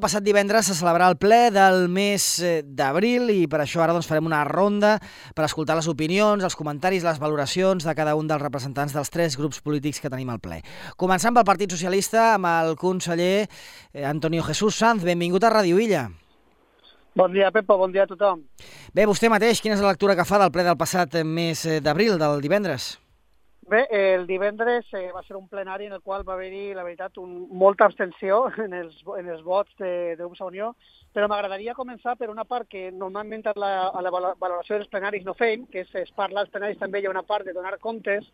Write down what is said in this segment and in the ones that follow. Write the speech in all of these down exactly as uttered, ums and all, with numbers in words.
passat divendres se celebrarà el ple del mes d'abril i per això ara doncs, farem una ronda per escoltar les opinions, els comentaris, les valoracions de cada un dels representants dels tres grups polítics que tenim al ple. Començant pel Partit Socialista amb el conseller Antonio Jesús Sanz. Benvingut a Ràdio Illa. Bon dia, Pepa, bon dia a tothom. Bé, vostè mateix, quina és la lectura que fa del ple del passat mes d'abril, del divendres? Bé, el divendres eh, va ser un plenari en el qual va haver-hi, la veritat, un, molta abstenció en els, en els vots de, de grups a Unió, però m'agradaria començar per una part que normalment a la, a la valoració dels plenaris no fem, que és, es parla als plenaris també hi ha una part de donar comptes,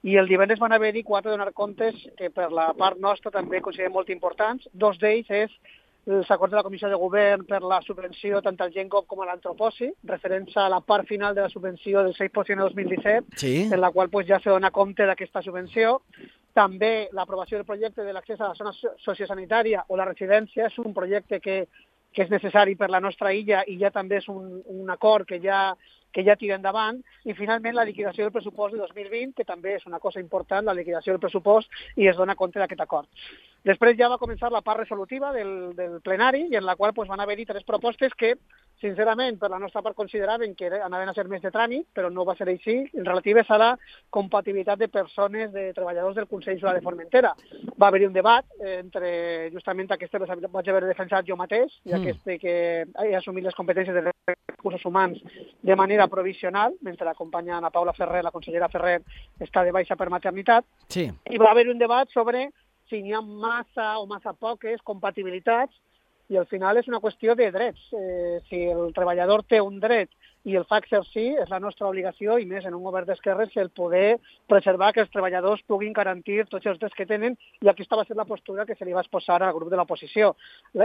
i el divendres van haver-hi quatre donar comptes que per la part nostra també considerem molt importants. Dos d'ells és els acords de la Comissió de Govern per la subvenció tant al Gengov com a l'Antroposi, referents a la part final de la subvenció del sis per cent de dos mil disset, sí. En la qual pues, ja se dona compte d'aquesta subvenció. També l'aprovació del projecte de l'accés a la zona sociosanitària o la residència és un projecte que, que és necessari per la nostra illa i ja també és un, un acord que ja que ja tira endavant, i finalment la liquidació del pressupost de dos mil vint, que també és una cosa important, la liquidació del pressupost, i es dona compte d'aquest acord. Després ja va començar la part resolutiva del, del plenari, i en la qual pues, van haver-hi tres propostes que, sincerament, per la nostra part consideraven que anaven a ser més de tràmit, però no va ser així, relatives a la compatibilitat de persones, de treballadors del Consell Insular de Formentera. Va haver-hi un debat entre, justament, aquestes les vaig haver defensat jo mateix, i mm. aquest que he assumit les competències de recursos humans de manera provisional, mentre l'acompanya Ana Paula Ferrer, la consellera Ferrer, està de baixa per maternitat, sí. I va haver un debat sobre si n'hi ha massa o massa poques compatibilitats, i al final és una qüestió de drets. Eh, si el treballador té un dret i el fa exercir, és la nostra obligació, i més en un govern d'esquerres, el poder preservar que els treballadors puguin garantir tots els drets que tenen, i aquesta va ser la postura que se li va exposar al grup de l'oposició.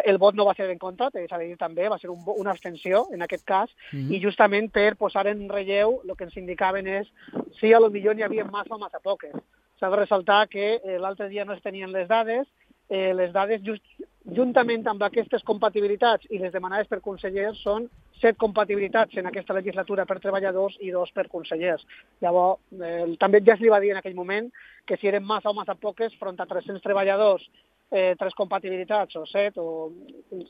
El vot no va ser en contra, s'ha de dir també, va ser un, una abstenció en aquest cas, mm-hmm. I justament per posar en relleu el que ens indicaven és si a lo millor n'hi havia massa o massa poques. S'ha de ressaltar que eh, l'altre dia no es tenien les dades, eh, les dades just, juntament amb aquestes compatibilitats i les demanades per consellers són set compatibilitats en aquesta legislatura per treballadors i dos per consellers. Llavors, eh, també ja es li va dir en aquell moment que si eren massa o massa poques, front a tres-cents treballadors, eh, tres compatibilitats o set, o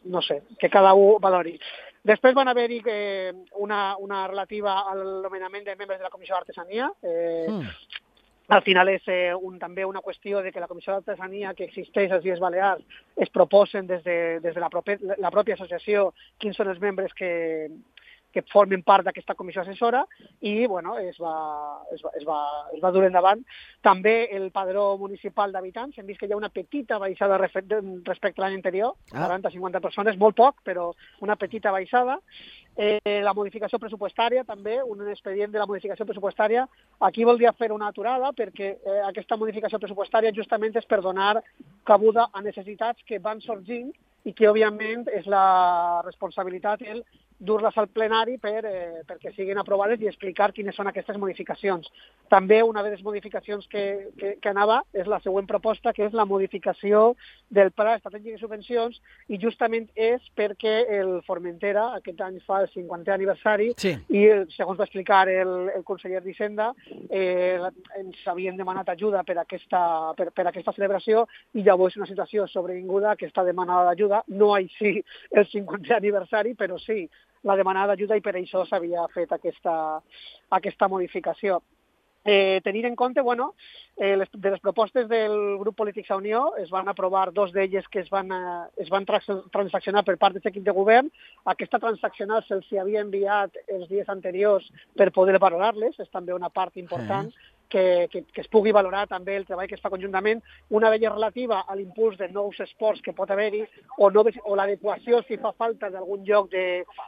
no sé, que cada un valori. Després van haver-hi eh, una, una relativa al nomenament de membres de la Comissió d'Artesania. Eh, mm. Al final és eh, un, també una qüestió de que la Comissió d'Artesania que existeix als Illes Balears es proposen des de, des de la, propi, la pròpia associació quins són els membres que, que formen part d'aquesta comissió assessora, i bueno, es, va, es, va, es, va, es va dur endavant. També el padró municipal d'habitants, hem vist que hi ha una petita baixada respecte a l'any anterior, ah. quaranta a cinquanta persones, molt poc, però una petita baixada. Eh, la modificació pressupostària, també, un expedient de la modificació pressupostària. Aquí voldria fer una aturada perquè eh, aquesta modificació pressupostària justament és per donar cabuda a necessitats que van sorgint i que, òbviament, és la responsabilitat el dur-les al plenari per, eh, perquè siguin aprovades i explicar quines són aquestes modificacions. També una de les modificacions que, que, que anava és la següent proposta, que és la modificació del Pla Estratègic de Subvencions, i justament és perquè el Formentera aquest any fa el cinquantè aniversari, sí. I segons va explicar el, el conseller d'Hisenda, eh, ens havien demanat ajuda per aquesta, per, per aquesta celebració, i llavors és una situació sobrevinguda que està demanada d'ajuda, no així el cinquantè aniversari, però sí la demanada d'ajuda, i per això s'havia fet aquesta, aquesta modificació. Eh, tenint en compte, bueno, eh, les, de les propostes del grup polític a Unió es van aprovar dos d'elles que es van, eh, es van transaccionar per part d'aquest equip de govern. Aquesta transaccional se'ls havia enviat els dies anteriors per poder valorar-les, és també una part important. Sí. Que, que, que es pugui valorar també el treball que es fa conjuntament, una d'elles relativa a l'impuls de nous esports que pot haver-hi, o, no, o l'adequació, si fa falta, d'algun lloc de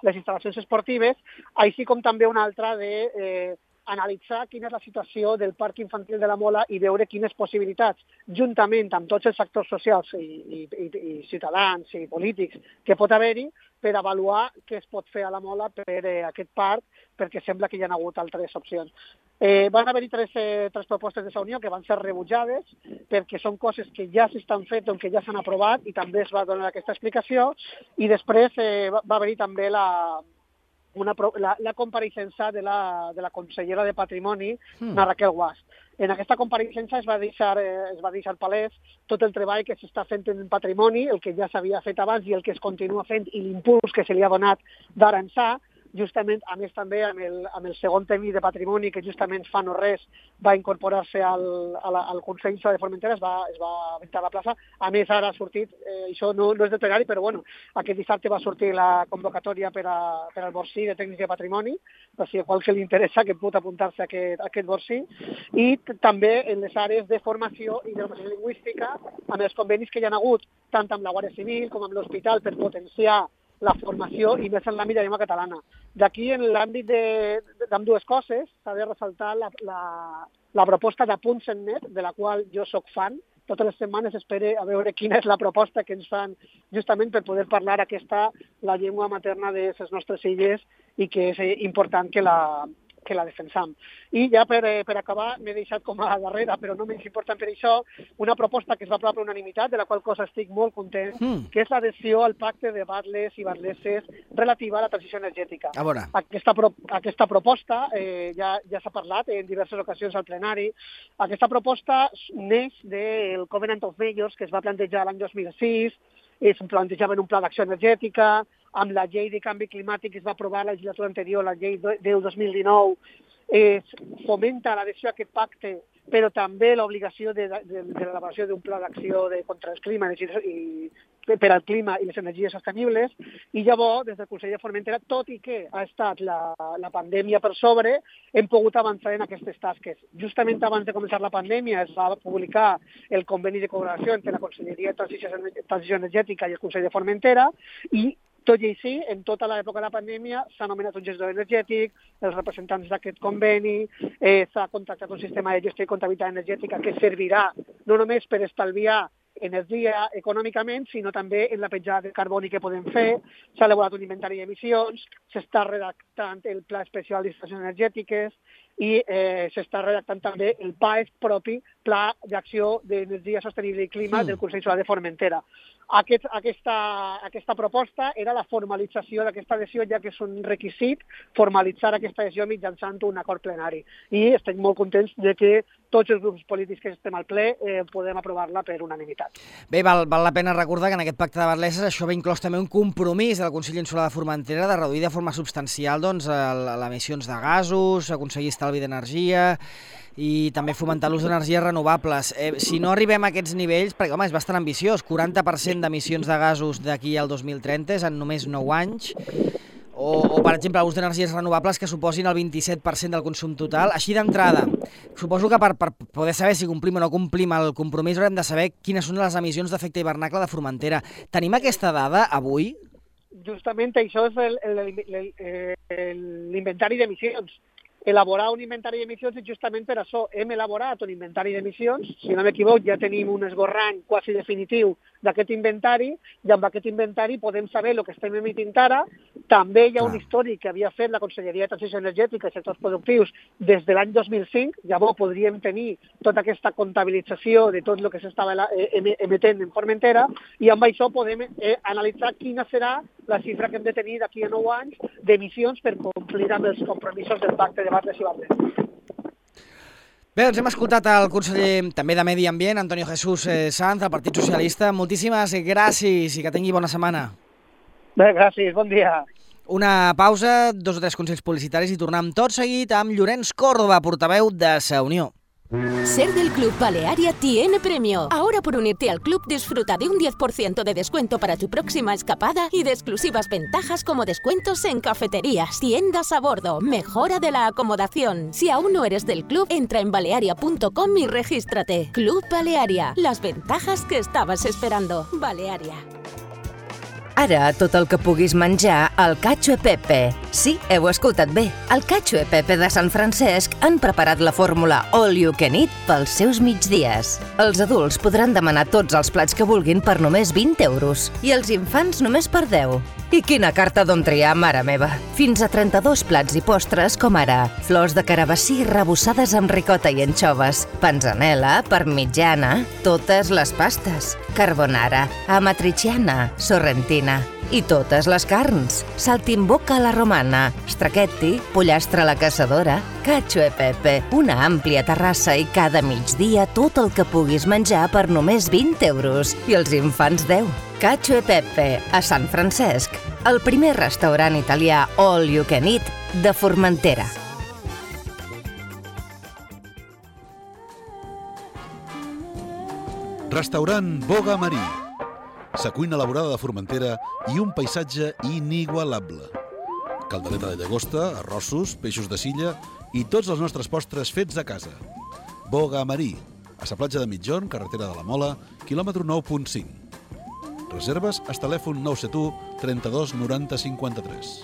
les instal·lacions esportives, així com també una altra de eh, analitzar quina és la situació del Parc Infantil de la Mola i veure quines possibilitats, juntament amb tots els actors socials i, i, i, i ciutadans i polítics que pot haver-hi, per avaluar què es pot fer a la Mola per eh, aquest parc, perquè sembla que hi ha hagut altres opcions. Eh, van haver-hi tres, eh, tres propostes de la Unió que van ser rebutjades perquè són coses que ja s'estan fent o que ja s'han aprovat, i també es va donar aquesta explicació, i després eh, va, va haver-hi també la, una, la, la compareixença de la, de la consellera de Patrimoni, mm. la Raquel Guas. En aquesta compareixença es va deixar, eh, es va deixar palès tot el treball que s'està fent en patrimoni, el que ja s'havia fet abans i el que es continua fent i l'impuls que se li ha donat d'ara ençà, justament, a més també amb el, amb el segon tècnic de patrimoni que justament fa no res va incorporar-se al, a la, al Consell de Formentera, es va, es va aventar a la plaça. A més, ara ha sortit, eh, això no, no és de plenari, però bueno, aquest dissabte va sortir la convocatòria per, a, per al Borsí de tècnics de patrimoni, per si a qualsevol li interessa que pot apuntar-se a aquest, a aquest Borsí, i també en les àrees de formació i de formació lingüística, amb els convenis que hi ha hagut, tant amb la Guàrdia Civil com amb l'Hospital, per potenciar la formació i més en l'àmbit de llengua catalana. D'aquí, en l'àmbit d'ambdues coses, s'ha de ressaltar la, la, la proposta d'Apunts.net, de la qual jo sóc fan. Totes les setmanes espero a veure quina és la proposta que ens fan justament per poder parlar aquesta, la llengua materna de les nostres illes i que és important que la, que la defensam. I ja per, per acabar, m'he deixat com a darrera, però no menys important per això, una proposta que es va aprovar per unanimitat, de la qual cosa estic molt content, mm. que és l'adhesió al pacte de batles i batleses relativa a la transició energètica. A veure. Aquesta, pro, aquesta proposta, eh, ja, ja s'ha parlat en diverses ocasions al plenari, aquesta proposta neix del Covenant of Mayors, que es va plantejar l'any dos mil sis, es plantejava en un pla d'acció energètica, amb la llei de canvi climàtic que es va aprovar la legislatura anterior, la llei deu dos mil dinou, es fomenta l'adhesió a aquest pacte, però també l'obligació de, de, de l'elaboració d'un pla d'acció de, contra el clima i, per al clima i les energies sostenibles, i llavors, des del Consell de Formentera, tot i que ha estat la, la pandèmia per sobre, hem pogut avançar en aquestes tasques. Justament abans de començar la pandèmia es va publicar el conveni de col·laboració entre la Conselleria de Transició, Transició Energètica i el Consell de Formentera, i tot i així, en tota l'època de la pandèmia s'ha nomenat un gestor energètic, els representants d'aquest conveni, eh, s'ha contractat un sistema de gestió i comptabilitat energètica que servirà no només per estalviar energia econòmicament, sinó també en la petjada de carboni que podem fer. S'ha elaborat un inventari d'emissions, s'està redactant el Pla Especial d'Instal·lacions Energètiques i eh, s'està redactant també el P A E F propi, Pla d'Acció d'Energia Sostenible i Clima mm. del Consell Solar de Formentera. Aquest, aquesta, aquesta proposta era la formalització d'aquesta adhesió, ja que és un requisit formalitzar aquesta adhesió mitjançant un acord plenari. I estem molt contents de que tots els grups polítics que estem al ple eh, podem aprovar-la per unanimitat. Bé, val, val la pena recordar que en aquest pacte de batleses això va inclòs també un compromís del Consell Insular de Formentera de reduir de forma substancial doncs, les emissions de gasos, aconseguir estalvi d'energia i també fomentar l'ús d'energies renovables. Eh, si no arribem a aquests nivells, perquè home, és bastant ambiciós, quaranta per cent d'emissions de gasos d'aquí al dos mil trenta és en només nou anys, o, o per exemple, l'ús d'energies renovables que suposin el vint-i-set per cent del consum total. Així d'entrada, suposo que per, per poder saber si complim o no complim el compromís haurem de saber quines són les emissions d'efecte hivernacle de Formentera. Tenim aquesta dada avui? Justament això és l'inventari d'emissions. Elaborar un inventari d'emissions és justament per això. Hem elaborat un inventari d'emissions, si no m'equivoc ja tenim un esborrany quasi definitiu d'aquest inventari, i amb aquest inventari podem saber el que estem emitint ara. També hi ha un històric que havia fet la Conselleria de Transició Energètica i Sectors Productius des de l'any dos mil cinc, llavors podríem tenir tota aquesta comptabilització de tot el que s'estava emetent en Formentera, i amb això podem eh, analitzar quina serà la xifra que hem de tenir d'aquí a nou anys d'emissions per complir amb els compromisos del pacte de Batles i Batles. Bé, doncs hem escoltat el conseller també de Medi Ambient, Antonio Jesús Sanz, del Partit Socialista. Moltíssimes gràcies i que tingui bona setmana. Bé, gràcies, bon dia. Una pausa, dos o tres consells publicitaris i tornem tot seguit amb Llorenç Córdoba, portaveu de Sa Unió. Ser del Club Balearia tiene premio. Ahora por unirte al club disfruta de un diez por ciento de descuento para tu próxima escapada y de exclusivas ventajas como descuentos en cafeterías, tiendas a bordo, mejora de la acomodación. Si aún no eres del club, entra en balearia punto com y regístrate. Club Balearia, las ventajas que estabas esperando. Balearia. Ara, tot el que puguis menjar al Cacho e Pepe. Sí, heu escoltat bé. Al Cacho e Pepe de Sant Francesc han preparat la fórmula All You Can Eat pels seus migdies. Els adults podran demanar tots els plats que vulguin per només vint euros i els infants només per deu. I quina carta d'on triar, mare meva! Fins a trenta-dos plats i postres, com ara flors de carabassí rebossades amb ricota i anxoves, panzanella, parmigiana, totes les pastes, carbonara, amatriciana, sorrentina. i totes les carns. Saltimbocca a la romana, stracchetti, pollastre a la caçadora, cacio e pepe, una àmplia terrassa i cada migdia tot el que puguis menjar per només vint euros i els infants deu. Cacio e Pepe, a Sant Francesc, el primer restaurant italià all you can eat de Formentera. Restaurant Boga Marí. Sa cuina elaborada de Formentera i un paisatge inigualable. Caldereta de llagosta, arrossos, peixos de silla i tots els nostres postres fets a casa. Boga Marí, a sa platja de Mitjorn, carretera de la Mola, quilòmetre nou punt cinc. Reserves al telèfon nou set u, trenta-dos, noranta, cinquanta-tres.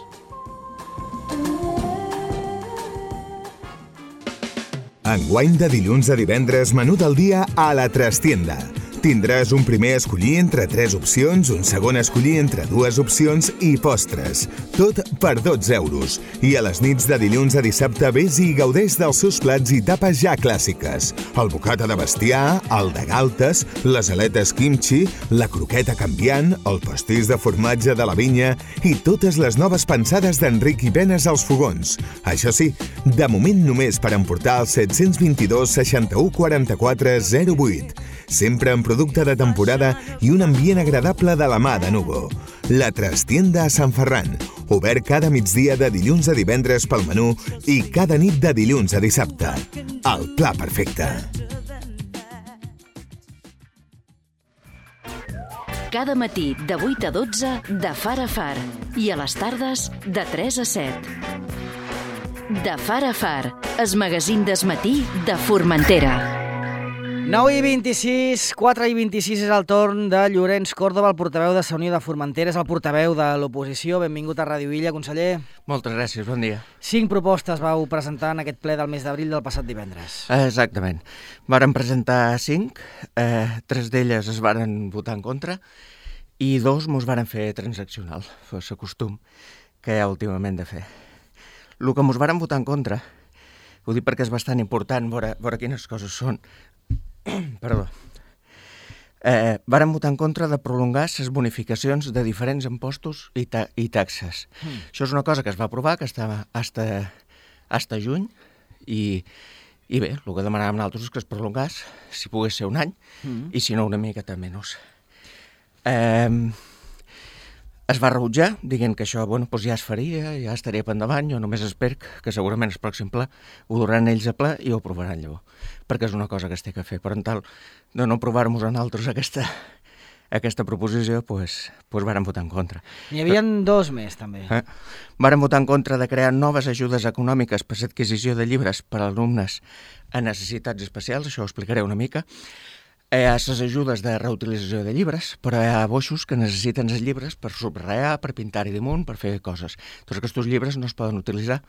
Enguany de dilluns a divendres, menú del dia a la Trastienda. Tindràs un primer a escollir entre tres opcions, un segon a escollir entre dues opcions i postres. Tot per dotze euros. I a les nits de dilluns a dissabte vés i gaudeix dels seus plats i tapes ja clàssiques. El bocata de bestiar, el de galtes, les aletes kimchi, la croqueta canviant, el pastís de formatge de la vinya i totes les noves pensades d'Enric i Penes als fogons. Això sí, de moment només per emportar el set dos dos, seixanta-u, quaranta-quatre, zero vuit. Sempre en producte de temporada i un ambient agradable de la mà de Nugo. La Trastienda a Sant Ferran, obert cada migdia de dilluns a divendres pel menú i cada nit de dilluns a dissabte. El pla perfecte. Cada matí de vuit a dotze de Far a Far i a les tardes de tres a set. De Far a Far, el magazín d'esmatí de Formentera. nou i vint-i-sis, quatre i vint-i-sis és el torn de Llorenç Còrdova, el portaveu de Sa Unió de Formentera, és el portaveu de l'oposició. Benvingut a Ràdio Illa, conseller. Moltes gràcies, bon dia. Cinc propostes vau presentar en aquest ple del mes d'abril del passat divendres. Exactament. Varen presentar cinc, eh, tres d'elles es varen votar en contra i dos mos varen fer transaccional, fos el costum que hi ha últimament de fer. El que mos varen votar en contra, ho dic perquè és bastant important veure, veure quines coses són. Perdó. Eh, varen votar en contra de prolongar les bonificacions de diferents impostos i, ta i taxes. Mm. Això és una cosa que es va aprovar, que estava hasta, hasta juny, i, i bé, el que demanàvem nosaltres és que es prolongés, si pogués ser un any, mm. i si no una miqueta menys. Eh, es va rebutjar, dient que això bueno, doncs ja es faria, ja estaria per endavant. Jo només espero que segurament el pròxim ple ho duran ells a ple i ho aprovaran llavors, perquè és una cosa que es té que fer. Per tal de no aprovar-nos a nosaltres aquesta, aquesta proposició, doncs, doncs varen votar en contra. N'hi havia dos més, també. Eh? Varen votar en contra de crear noves ajudes econòmiques per l'adquisició de llibres per a alumnes a necessitats especials, això ho explicaré una mica. Hi ha les ajudes de reutilització de llibres, però hi ha boixos que necessiten els llibres per subratllar, per pintar-hi damunt, per fer coses. Tots aquests llibres no es poden utilitzar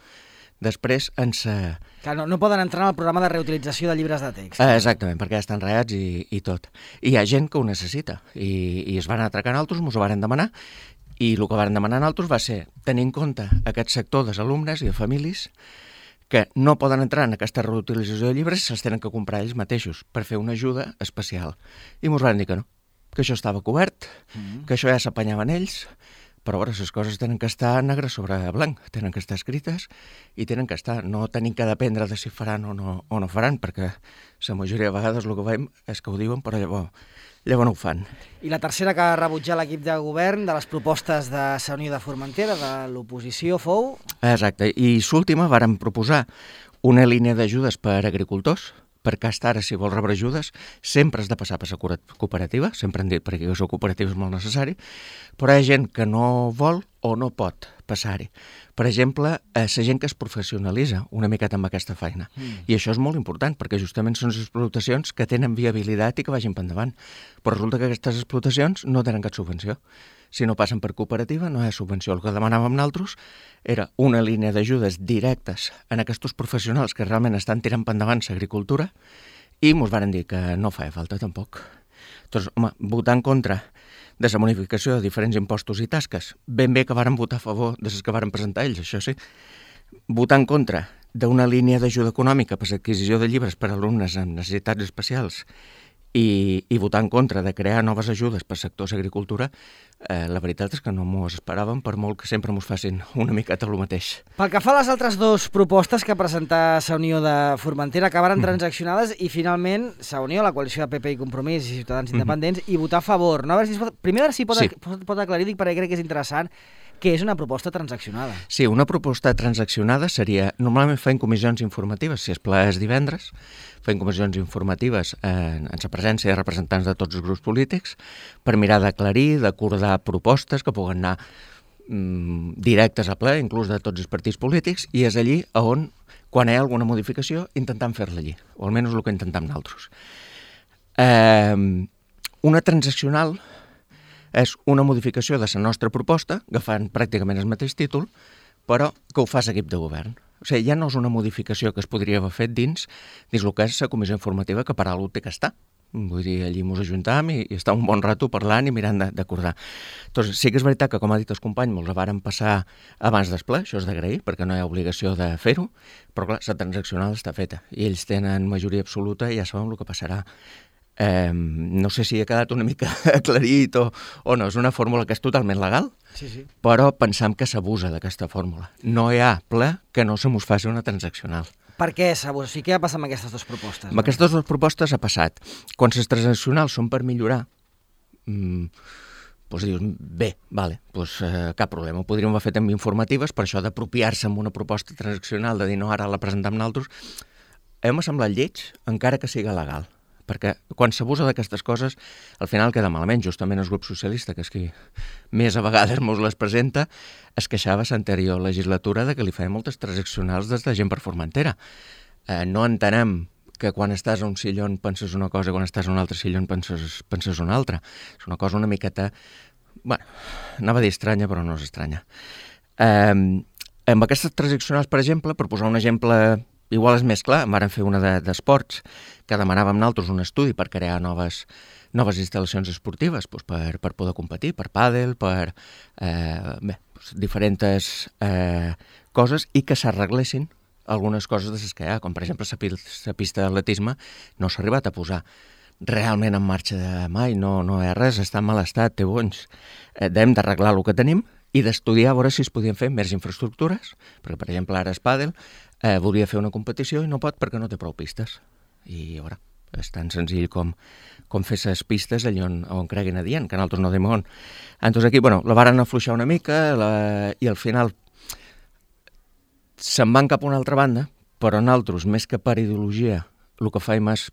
després en sa... Clar, no, no poden entrar en el programa de reutilització de llibres de text. Eh, exactament, perquè ja estan ratllats i, i tot. I hi ha gent que ho necessita, i, i es van atracar nosaltres, ens ho varen demanar, i el que varen demanar nosaltres va ser tenir en compte aquest sector dels alumnes i de famílies que no poden entrar en aquesta reutilització de llibres i se'ls tenen que comprar ells mateixos per fer una ajuda especial. I ens van dir que no, que això estava cobert, mm. que això ja s'apanyaven ells, però ara les coses tenen que estar negre sobre blanc, tenen que estar escrites i tenen que estar, no tenim que dependre de si faran o no, o no faran, perquè la majoria de vegades el que veiem és que ho diuen, però llavors, llavors no ho fan. I la tercera que ha rebutjat l'equip de govern de les propostes de Sa Unió de Formentera, de l'oposició, fou... Exacte, i l'última varen proposar una línia d'ajudes per a agricultors, perquè hasta ara, si vols rebre ajudes, sempre has de passar per la cooperativa, sempre han dit perquè la cooperativa és molt necessari, però hi ha gent que no vol o no pot passar-hi. Per exemple, la gent que es professionalitza una miqueta amb aquesta feina. Mm. I això és molt important, perquè justament són les explotacions que tenen viabilitat i que vagin per endavant. Però resulta que aquestes explotacions no tenen cap subvenció. Si no passen per cooperativa, no hi ha subvenció. El que demanàvem nosaltres era una línia d'ajudes directes en aquests professionals que realment estan tirant per endavant l'agricultura i ens van dir que no feia falta tampoc. Doncs, home, votar en contra de la bonificació de diferents impostos i tasques, ben bé que varen votar a favor de les que varen presentar ells, això sí. Votar en contra d'una línia d'ajuda econòmica per l'adquisició de llibres per a alumnes amb necessitats especials i, i votar en contra de crear noves ajudes per sectors d'agricultura, eh, la veritat és que no m'ho esperàvem, per molt que sempre mos facin una miqueta el mateix. Pel que fa a les altres dues propostes que presentà Sa Unió de Formentera, acabaren mm. transaccionades i finalment Sa Unió, la coalició de P P i Compromís i Ciutadans mm. Independents, i votar a favor. No? A veure si pot... Primer, a veure si pot, sí. pot, pot aclarir, dic, perquè crec que és interessant, que és una proposta transaccionada. Sí, una proposta transaccionada seria... Normalment feien comissions informatives, si es ple és divendres, feien comissions informatives en, en la presència de representants de tots els grups polítics per mirar d'aclarir, d'acordar propostes que puguen anar mm, directes a ple, inclús de tots els partits polítics, i és allí on, quan hi ha alguna modificació, intentam fer-la allí, o almenys el que intentam nosaltres. Eh, una transaccional és una modificació de la nostra proposta, agafant pràcticament el mateix títol, però que ho fa l'equip de govern. O sigui, ja no és una modificació que es podria haver fet dins, dins el que és la comissió informativa, que per alguna té que estar. Vull dir, allí ens ajuntam i, i està un bon rato parlant i mirant d'acordar. Doncs sí que és veritat que, com ha dit el company, ens la varen passar abans del ple, això és d'agrair, perquè no hi ha obligació de fer-ho, però clar, la transaccional està feta i ells tenen majoria absoluta i ja sabem el que passarà. Eh, no sé si ha quedat una mica aclarit o, o no, és una fórmula que és totalment legal, sí, sí. però pensam que s'abusa d'aquesta fórmula. No hi ha ple que no se mos faci una transaccional. Per què s'abusa? O sigui, què ha passat amb aquestes dues propostes? Amb no? aquestes dues propostes ha passat. Quan les transaccionals són per millorar, mmm, doncs dius, bé, vale, doncs, eh, cap problema, ho podríem haver fet amb informatives, per això d'apropiar-se amb una proposta transaccional, de dir no, ara la presentem nosaltres, hem semblat lleig, encara que siga legal. Perquè quan s'abusa d'aquestes coses, al final queda malament. Justament el grup socialista, que és qui més a vegades mos les presenta, es queixava a l'anterior legislatura de que li feien moltes transaccionals des de gent per Formentera. Eh, no entenem que quan estàs a un sillon penses una cosa i quan estàs a un altre sillon penses, penses una altra. És una cosa una miqueta... Bueno, anava a dir estranya, però no és estranya. Eh, amb aquestes transaccionals, per exemple, per posar un exemple... Igual és més clar, en vàrem fer una d'esports, de, que demanàvem nosaltres un estudi per crear noves, noves instal·lacions esportives, doncs per, per poder competir, per pàdel, per eh, bé, doncs diferents eh, coses, i que s'arreglessin algunes coses de les que hi ha, com per exemple la pista d'atletisme no s'ha arribat a posar realment en marxa de mai, no, no hi ha res, està en mal estat, té bonys. Eh, hem d'arreglar el que tenim i d'estudiar a veure si es podien fer més infraestructures, perquè per exemple ara es pàdel, Eh, volia fer una competició i no pot perquè no té prou pistes. I, a veure, és tan senzill com, com fer les pistes allà on, on creguin adient, que nosaltres no diem on. Entonces aquí, bueno, la varen afluixar una mica la, i al final se'n van cap a una altra banda, però nosaltres, més que per ideologia, el que faim és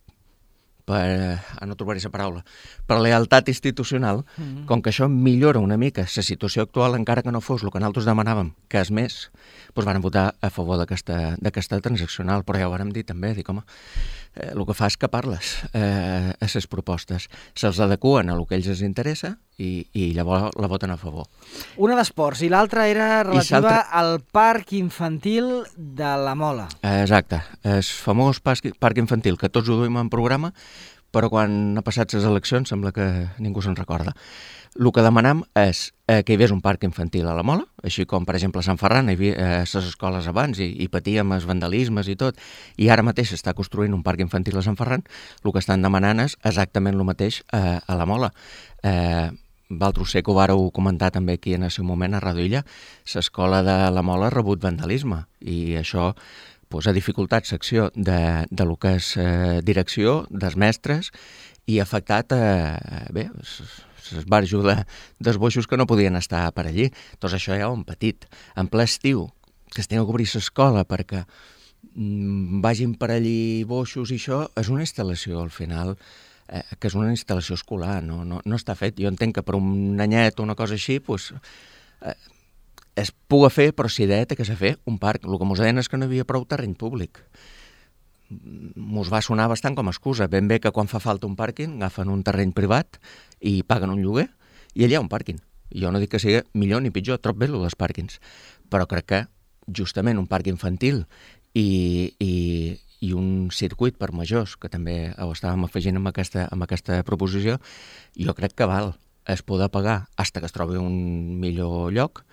per, a no trobar-hi la paraula, per lealtat institucional, mm-hmm. com que això millora una mica la situació actual, encara que no fos el que nosaltres demanàvem, que és més, doncs van votar a favor d'aquesta transaccional, però ja ho vàrem dir també, dic, home, eh, el que fa és capar-les eh, a les propostes, se'ls adequen a el que ells els interessa i, i llavors la voten a favor. Una d'esports i l'altra era relativa al parc infantil de la Mola. Eh, exacte, el famós parc infantil que tots ho duim en programa, però quan ha passat les eleccions sembla que ningú se'n recorda. El que demanam és eh, que hi hagués un parc infantil a la Mola, així com, per exemple, a Sant Ferran hi havia eh, les escoles abans i, i patíem els vandalismes i tot, i ara mateix s'està construint un parc infantil a Sant Ferran, el que estan demanant és exactament el mateix eh, a la Mola. Eh, Valtros sé que ho vàreu comentar també aquí en el seu moment a Radio Illa, l'escola de la Mola ha rebut vandalisme, i això pues, ha dificultat l'acció de, de lo que és eh, direcció, dels mestres, i ha afectat eh, bé, els barjos de, dels boixos que no podien estar per allí. Doncs això ja ho hem patit. En ple estiu, que es tenia que obrir l'escola perquè mm, vagin per allí boixos i això, és una instal·lació al final, eh, que és una instal·lació escolar, no, no, no està fet. Jo entenc que per un anyet o una cosa així, pues, eh, es puga fer, però si d'et té que ser fer un parc. El que mos deien és que no hi havia prou terreny públic. Mos va sonar bastant com a excusa. Ben bé que quan fa falta un pàrquing agafen un terreny privat i paguen un lloguer i allà hi ha un pàrquing. Jo no dic que sigui millor ni pitjor, trob bé el dels pàrquings, però crec que justament un parc infantil i, i, i un circuit per majors, que també ho estàvem afegint amb aquesta, amb aquesta proposició, jo crec que val es poder pagar fins que es trobi un millor lloc,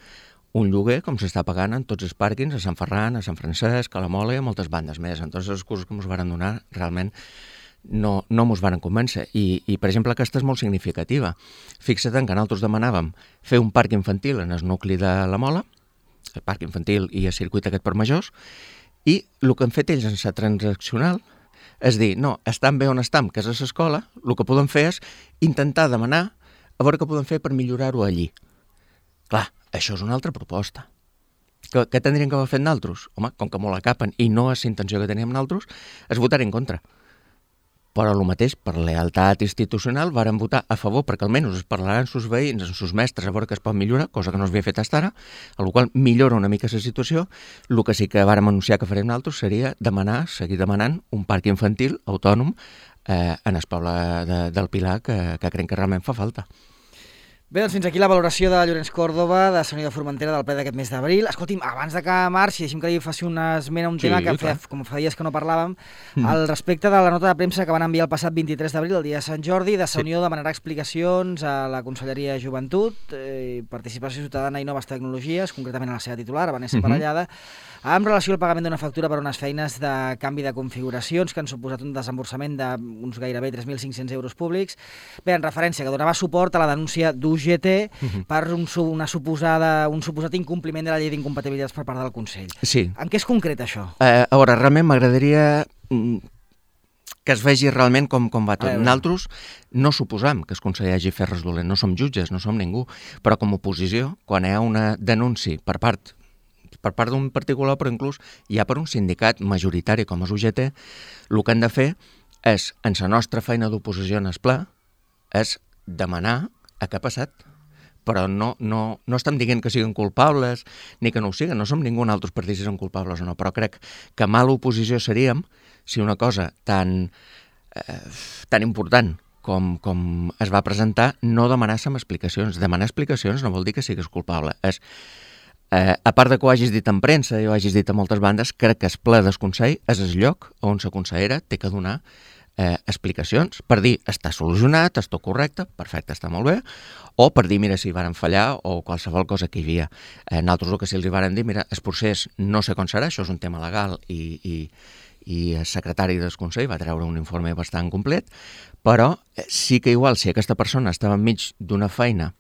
un lloguer com s'està pagant en tots els pàrquings, a Sant Ferran, a Sant Francesc, a la Mola i a moltes bandes més. En totes les excuses que ens varen donar, realment no, no mos van convèncer. I, I, per exemple, aquesta és molt significativa. Fixa't en que nosaltres demanàvem fer un parc infantil en el nucli de la Mola, el parc infantil i el circuit aquest per majors, i el que han fet ells en la transaccional és dir, no, estan bé on estan, que és a l'escola, el que podem fer és intentar demanar a veure què podem fer per millorar-ho allí. Clar, això és una altra proposta. Què, què tindríem que haver fet nosaltres? Home, com que molt la capen i no és la intenció que teníem nosaltres, és votar en contra. Però el mateix, per lealtat institucional, varen votar a favor, perquè almenys es parlaran sus veïns, amb sus mestres, a veure què es pot millorar, cosa que no s'havia fet fins ara, a la qual millora una mica la situació. El que sí que vàrem anunciar que farem nosaltres seria demanar, seguir demanant, un parc infantil autònom eh, en el poble de, del Pilar, que, que creiem que realment fa falta. Bé, doncs fins aquí la valoració de Llorenç Còrdova, de Sant Unió de Formentera, del ple d'aquest mes d'abril. Escolti'm, abans de que marxi, deixi'm que li faci una esmena a un Sí, tema que clar. feia, com fa dies que no parlàvem, Mm. al respecte de la nota de premsa que van enviar el passat vint-i-tres d'abril, el dia de Sant Jordi, de Sant Sí. Unió demanarà explicacions a la Conselleria de Joventut, eh, Participació Ciutadana i Noves Tecnologies, concretament a la seva titular, Vanessa Mhm. Parellada, amb relació al pagament d'una factura per unes feines de canvi de configuracions que han suposat un desemborsament d'uns gairebé tres mil cinc-cents euros públics. Bé, en referència, que donava suport a la denúncia d'U G T Mhm. per un, su- una suposada, un suposat incompliment de la llei d'incompatibilitats per part del Consell. Sí. En què és concret això? Eh, a veure, realment m'agradaria mm, que es vegi realment com, com va tot. A veure. Nosaltres no suposam que el conseller hagi fet res dolent, no som jutges, no som ningú, però com a oposició, quan hi ha una denúncia per part per part d'un particular, però inclús ja per un sindicat majoritari com és U G T, el que han de fer és, en la nostra feina d'oposició en el pla, és demanar a què ha passat. Però no, no, no estem dient que siguin culpables ni que no ho siguin, no som ningú altres per dir si són culpables o no, però crec que mala oposició seríem si una cosa tan, eh, tan important com, com es va presentar no demanàssim explicacions. Demanar explicacions no vol dir que siguis culpable. És, eh, a part de que ho hagis dit en premsa i ho hagis dit a moltes bandes, crec que el ple del Consell és el lloc on la consellera té que donar eh, explicacions per dir està solucionat, està correcte, perfecte, està molt bé, o per dir, mira, si varen fallar o qualsevol cosa que hi havia. Eh, nosaltres el que sí els hi varen dir, mira, el procés no sé com serà, això és un tema legal i, i, i el secretari del Consell va treure un informe bastant complet, però eh, sí que igual si aquesta persona estava enmig d'una feina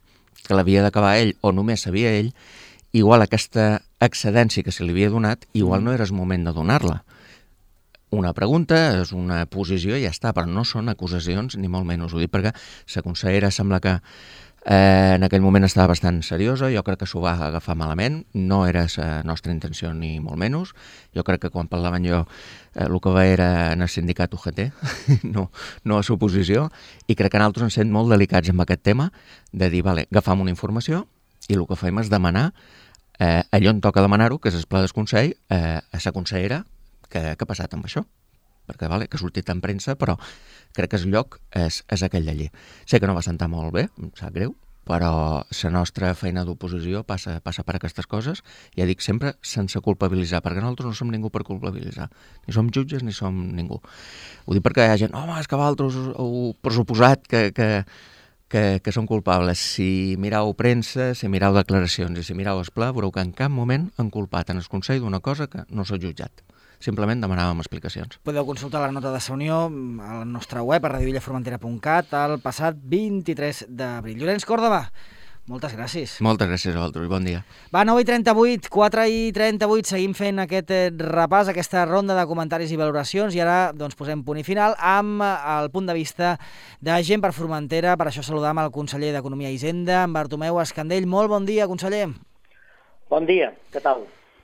que l'havia d'acabar ell o només sabia ell, igual aquesta excedència que se li havia donat, igual no era el moment de donar-la. Una pregunta, és una posició i ja està, però no són acusacions ni molt menys. Ho dic perquè la consellera sembla que eh, en aquell moment estava bastant seriosa, jo crec que s'ho va agafar malament, no era la nostra intenció ni molt menys. Jo crec que quan parlaven jo eh, el que va era en el sindicat U G T, no, no a l'oposició, i crec que nosaltres ens sent molt delicats amb aquest tema de dir, vale, agafam una informació i el que fem és demanar eh, allò on toca demanar-ho, que és el pla del Consell, eh, a la consellera, què ha passat amb això? Perquè vale, que ha sortit en premsa, però crec que el lloc és, és aquell d'allí. Sé que no va sentar molt bé, em sap greu, però la nostra feina d'oposició passa, passa per aquestes coses, ja dic sempre sense culpabilitzar, perquè nosaltres no som ningú per culpabilitzar. Ni som jutges ni som ningú. Ho dic perquè hi ha gent, home, és que vosaltres heu pressuposat que, que, que, que són culpables. Si mirau premsa, si mirau declaracions i si mirau el pla, veureu que en cap moment han culpat en el Consell d'una cosa que no s'ha jutjat. Simplement demanàvem explicacions. Podeu consultar la nota de la Unió a la nostra web, a radio villa formentera punt cat, el passat vint-i-tres d'abril. Llorenç Còrdova, moltes gràcies. Moltes gràcies a vosaltres, bon dia. Va, nou i trenta-vuit, quatre i trenta-vuit, seguim fent aquest eh, repàs, aquesta ronda de comentaris i valoracions, i ara doncs, posem punt i final amb el punt de vista de Gent per Formentera. Per això saludam el conseller d'Economia i Hisenda, en Bartomeu Escandell. Molt bon dia, conseller. Bon dia, què tal?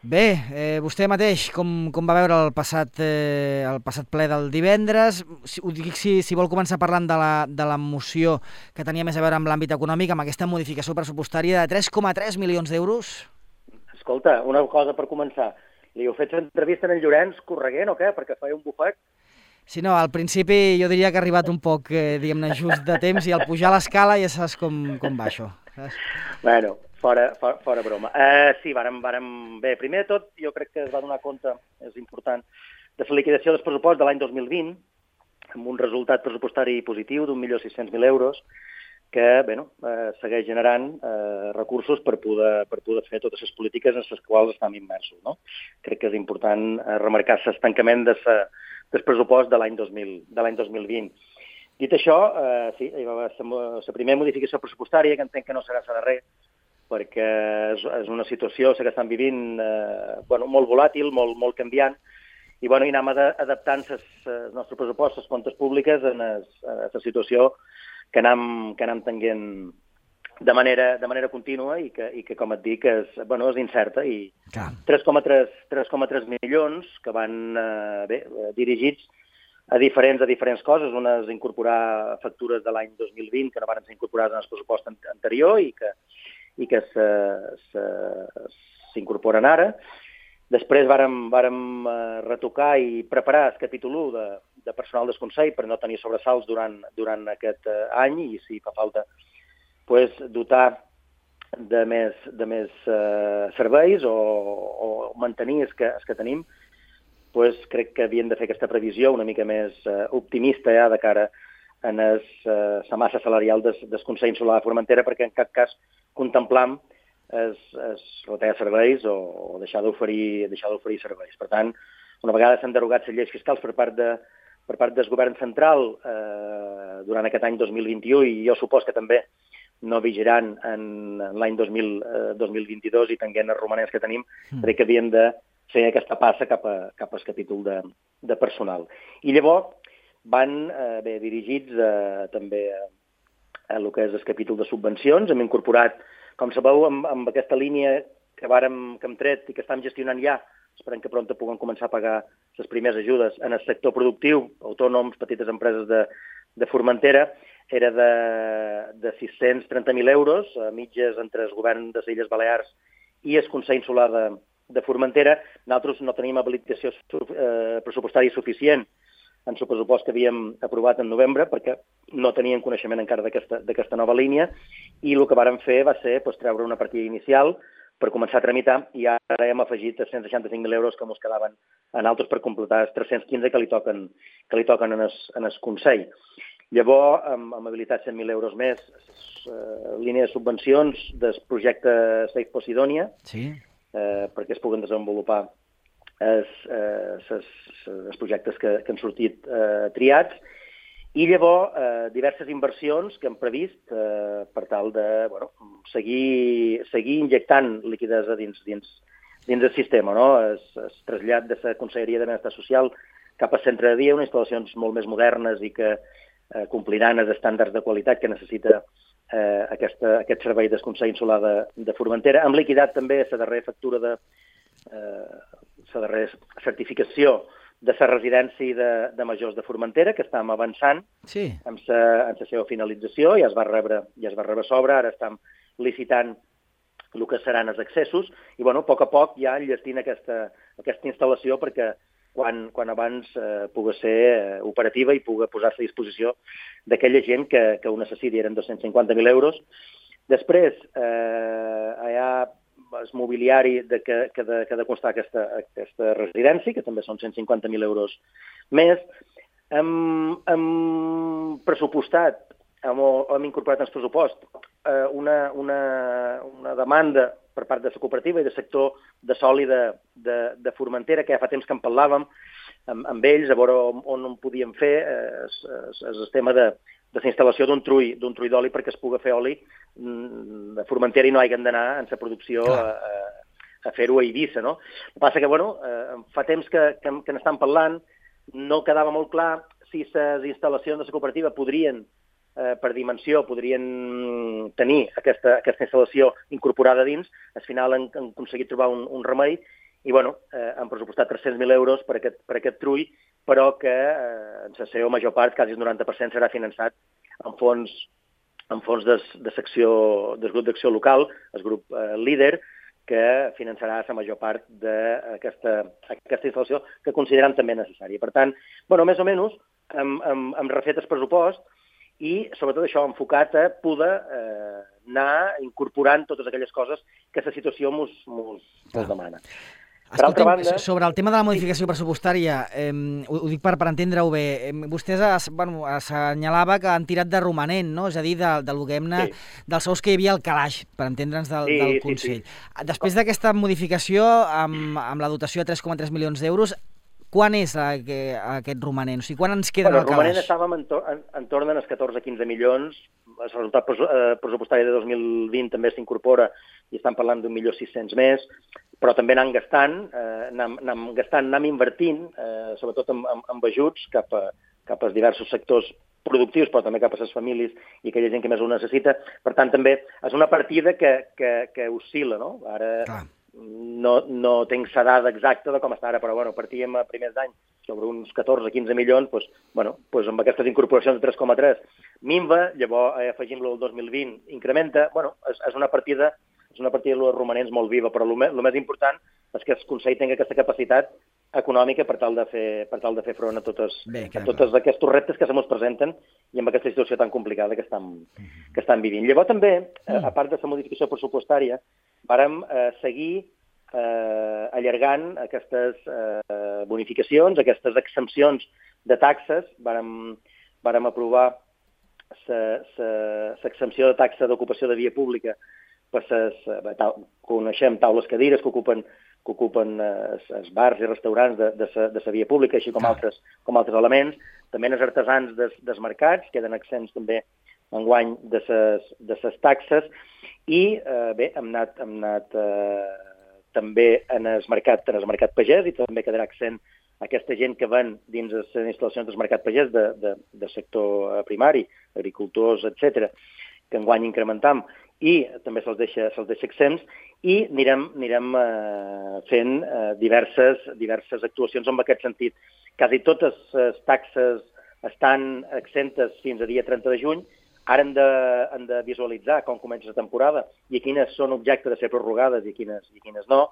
Bé, eh, vostè mateix, com, com va veure el passat, eh, el passat ple del divendres? Si, ho dic si, si vol començar parlant de la, de la moció que tenia més a veure amb l'àmbit econòmic, amb aquesta modificació pressupostària de tres coma tres milions d'euros. Escolta, una cosa per començar. Li heu fet l'entrevista en Llorenç correguent o què? Perquè feia un bufet. Sí, no, al principi jo diria que ha arribat un poc, eh, diguem-ne, just de temps, i al pujar l'escala ja saps com, com va això. Saps? Bueno, fora, fora, fora broma. Uh, sí, vàrem, vàrem... Bé, primer de tot, jo crec que es va donar compte, és important, de la liquidació del pressupost de l'any dos mil vint, amb un resultat pressupostari positiu d'un milió sis-cents mil euros, que bueno, eh, segueix generant eh, recursos per poder, per poder fer totes les polítiques en les quals estem immersos. No? Crec que és important eh, remarcar l'estancament de la del pressupost de l'any dos mil de l'any dos mil vint. Dit això, eh, sí, la primera modificació pressupostària, que entenc que no serà la darrera, perquè és, és una situació que estan vivint eh, bueno, molt volàtil, molt, molt canviant, i, bueno, i anem adaptant el nostre pressupost, les comptes públiques, a la situació que anem, que anem tenint de manera, de manera contínua i que, i que, com et dic, és, bueno, és incerta. I tres coma tres milions que van eh, bé, dirigits a diferents, a diferents coses. Una és incorporar factures de l'any dos mil vint que no van ser incorporades en el pressupost anterior i que, i que s'incorporen ara. Després vàrem, vàrem retocar i preparar el capítol u de, de personal del Consell per no tenir sobresalts durant, durant aquest any i, si fa falta, pues, dotar de més, de més uh, serveis o, o mantenir els que, els que tenim. Pues, crec que havien de fer aquesta previsió una mica més uh, optimista ja de cara a la uh, massa salarial del, del Consell Insular de Formentera, perquè en cap cas contemplam es, es retallar serveis o, o deixar d'oferir deixar d'oferir serveis. Per tant, una vegada s'han derogat les lleis fiscals per part, de, per part del govern central eh, durant aquest any dos mil vint-i-u, i jo supos que també no vigiran en, en l'any dos mil vint-i-dos i tenint els romanents que tenim, mm. crec que havien de fer aquesta passa cap, a, cap al capítol de, de personal. I llavors van eh, bé, dirigits eh, també a, a el que és el capítol de subvencions. Hem incorporat, com sabeu, amb, amb aquesta línia que, vàrem, que hem tret i que estem gestionant ja, esperem que prompte puguem començar a pagar les primeres ajudes en el sector productiu, autònoms, petites empreses de, de Formentera, era de, de sis-cents trenta mil euros, a mitges entre el govern de les Illes Balears i el Consell Insular de, de Formentera. Nosaltres no tenim habilitació eh, pressupostària suficient en el pressupost que havíem aprovat en novembre, perquè no teníem coneixement encara d'aquesta nova línia, i el que vàrem fer va ser pues, treure una partida inicial per començar a tramitar, i ara hem afegit cent seixanta-cinc mil euros que ens quedaven en altres per completar els tres-cents quinze que li toquen, que li toquen en el, en el Consell. Llavors, hem, hem habilitat cent mil euros més, eh, línia de subvencions del projecte Safe Posidònia, sí. eh, perquè es puguen desenvolupar els, eh, els, els projectes que, que han sortit eh, triats, i llavors eh, diverses inversions que hem previst eh, per tal de bueno, seguir, seguir injectant liquiditat dins, dins, dins del sistema. No? Es, es trasllat de la Conselleria de Benestar Social cap al centre de dia, unes instal·lacions molt més modernes i que eh, compliran els estàndards de qualitat que necessita eh, aquesta, aquest servei del Consell Insular de, de Formentera. Hem liquidat també la darrera factura de eh, la darrera certificació de la residència de, de majors de Formentera, que estem avançant sí. amb la seva finalització, ja es va rebre, ja es va rebre sobre, ara estem licitant el que seran els accessos, i bueno, a poc a poc ja enllestint aquesta, aquesta instal·lació perquè quan, quan abans eh, pugui ser eh, operativa i pugui posar-se a disposició d'aquella gent que, que ho necessiti. Eren dos-cents cinquanta mil euros. Després, eh, hi ha el mobiliari de que, que, de, que ha de constar aquesta, aquesta residència, que també són cent cinquanta mil euros més. Hem, hem pressupostat, hem, hem incorporat en el pressupost eh, una, una, una demanda per part de la cooperativa i del sector de sòlid de, de, de Formentera, que ja fa temps que en parlàvem amb, amb ells, a veure on, on en podíem fer eh, el, el tema de de la instal·lació d'un trull, d'un trull d'oli perquè es pugui fer oli a Formentera i no hagin d'anar en la producció a, a, a fer-ho a Eivissa, no? El que passa que, bueno, eh, fa temps que, que, que n'estan parlant, no quedava molt clar si les instal·lacions de la cooperativa podrien, eh, per dimensió, podrien tenir aquesta, aquesta instal·lació incorporada dins. Al final han, han aconseguit trobar un, un remei i, bueno, eh, han pressupostat tres-cents mil euros per aquest, per aquest trull, però que eh, en la seva major part, quasi el noranta per cent, serà finançat en fons, en fons de, de secció, del grup d'acció local, el grup eh, líder, que finançarà la major part d'aquesta aquesta instal·lació que considerem també necessària. Per tant, bueno, més o menys, hem, hem, hem refet el pressupost i, sobretot això, enfocat a poder eh, anar incorporant totes aquelles coses que la situació mos, mos, mos demana. Per altra banda, sobre el tema de la modificació pressupostària, eh, ho, ho dic per, per entendre-ho bé, eh, vostès es, bueno, assenyalava que han tirat de romanent, no? És a dir, de, del que hem sí. dels sous que hi havia al calaix, per entendre'ns del, sí, del Consell. Sí, sí. Després d'aquesta modificació, amb, amb la dotació de tres coma tres milions d'euros, quan és aquest romanent? O sigui, quan ens queden bueno, al calaix? El romanent estàvem en, to en, en torn dels catorze a quinze milions, el resultat pressupostari de dos mil vint també s'incorpora i estan parlant d'un milió sis-cents més, però també anant gastant, eh, anant, anant gastant, anant invertint, eh, sobretot amb, amb, amb ajuts cap a, cap als diversos sectors productius, però també cap a les famílies i aquella gent que més ho necessita. Per tant, també és una partida que, que, que oscil·la, no? Ara Clar. no, no tinc la dada exacta de com està ara, però bueno, partíem a primers d'any sobre uns catorze a quinze milions, doncs, bueno, doncs amb aquestes incorporacions de tres coma tres minva, llavors eh, afegim-lo el dos mil vint, incrementa, bueno, és, és una partida és una partida de romanents molt viva, però el més, el més important és que el Consell tingui aquesta capacitat econòmica per tal de fer, per tal de fer front a totes, Bé, a totes aquests reptes que se ens presenten i amb aquesta situació tan complicada que estan, mm-hmm. que estan vivint. Llavors també, mm. a part de la modificació pressupostària, vàrem eh, seguir eh, allargant aquestes eh, bonificacions, aquestes exempcions de taxes. Vàrem, vàrem aprovar l'exempció de taxa d'ocupació de via pública per ses, ta, coneixem taules cadires que ocupen, que ocupen eh, els bars i restaurants de, de, sa, de sa via pública, així com, ah. altres, com altres elements. També els artesans des, des mercats queden exempts també enguany de ses, de ses taxes. I eh, bé, hem anat, hem anat eh, també en el mercat, en el mercat pagès, i també quedarà accent aquesta gent que van dins les instal·lacions del mercat pagès de, de, de sector primari, agricultors, etcètera, que enguany incrementam, i també se'ls deixa, se'ls deixa exempts, i anirem, anirem eh, fent eh, diverses, diverses actuacions en aquest sentit. Quasi totes les taxes estan exemptes fins a dia trenta de juny, ara hem de, hem de visualitzar com comença la temporada i quines són objecte de ser prorrogades i quines, i quines no.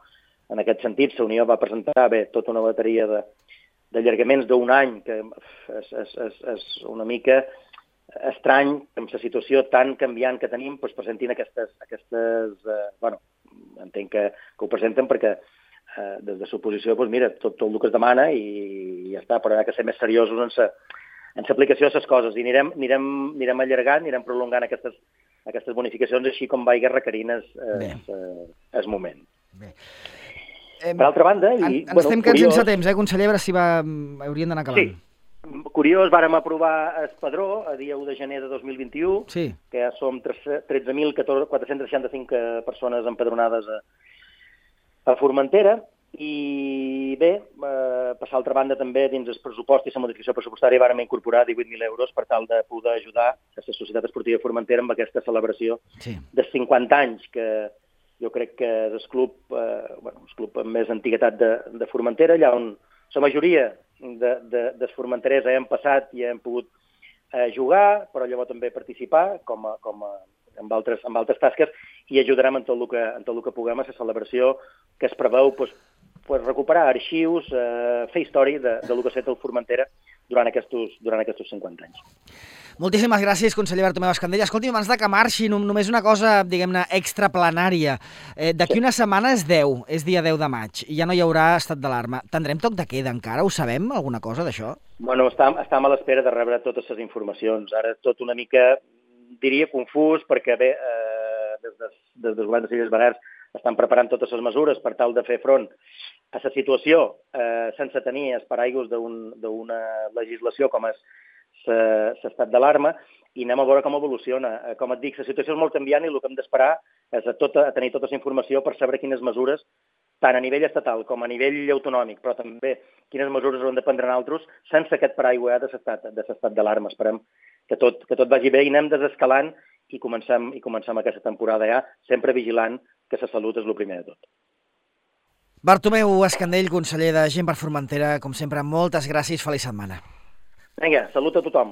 En aquest sentit, la Unió va presentar bé tota una bateria de, d'allargaments d'un any, que és, és, és, és una mica estrany, amb la situació tan canviant que tenim, doncs presentin aquestes... aquestes eh, bueno, entenc que, que ho presenten perquè eh, des de l'oposició, doncs mira, tot, tot el que es demana i, i ja està, però hi ha que ser més seriosos en sa, en l'aplicació de les coses, i anirem, anirem, anirem allargant, anirem prolongant aquestes, aquestes bonificacions, així com vagi requerint el eh, moment. Bé. Per altra banda... I, en, ens bueno, estem quedant curiós, sense temps, eh, conseller, a veure si va, hauríem d'anar acabant. Sí. Curiós, vàrem aprovar el padró a dia u de gener de dos mil vint-i-u, sí. que ja som tretze mil quatre-cents seixanta-cinc persones empadronades a, a Formentera, i bé, eh, per l'altra banda també dins el pressupost i la modificació pressupostària vàrem incorporar divuit mil euros per tal de poder ajudar a la Societat Esportiva Formentera amb aquesta celebració sí. de cinquanta anys, que jo crec que és el club, eh, bueno, el club amb més antiguitat de, de Formentera, allà on la majoria de, de, dels formenterers hem passat i hem pogut eh, jugar, però llavors també participar com a, com a, amb, altres, amb altres tasques, i ajudarem en tot el que, en tot el que puguem a la celebració que es preveu pues, pues, recuperar arxius, eh, fer història de, de lo que ha estat el Formentera durant aquests, durant aquests cinquanta anys. Moltíssimes gràcies, conseller Bartomeu Escandell. Escolti, abans de que marxi, només una cosa, diguem-ne, extraplanària. Eh, D'aquí sí. una setmana és deu, és dia deu de maig, i ja no hi haurà estat d'alarma. Tindrem toc de queda encara? Ho sabem, alguna cosa d'això? Bueno, estem, estem a l'espera de rebre totes les informacions. Ara tot una mica, diria, confús, perquè bé, eh, des, des, des del govern de les Illes Balears estan preparant totes les mesures per tal de fer front a la situació eh, sense tenir els paraigües d'una legislació com és l'estat d'alarma, i anem a veure com evoluciona. Com et dic, la situació és molt canviant i el que hem d'esperar és a, tota, a tenir tota la informació per saber quines mesures, tant a nivell estatal com a nivell autonòmic, però també quines mesures haurem de prendre nosaltres sense aquest paraigua de l'estat d'alarma. Esperem que tot, que tot vagi bé i anem desescalant i comencem, i comencem aquesta temporada ja, sempre vigilant que la salut és el primer de tot. Bartomeu Escandell, conseller de Gent per Formentera, com sempre, moltes gràcies, feliç setmana. Vinga, salut a tothom.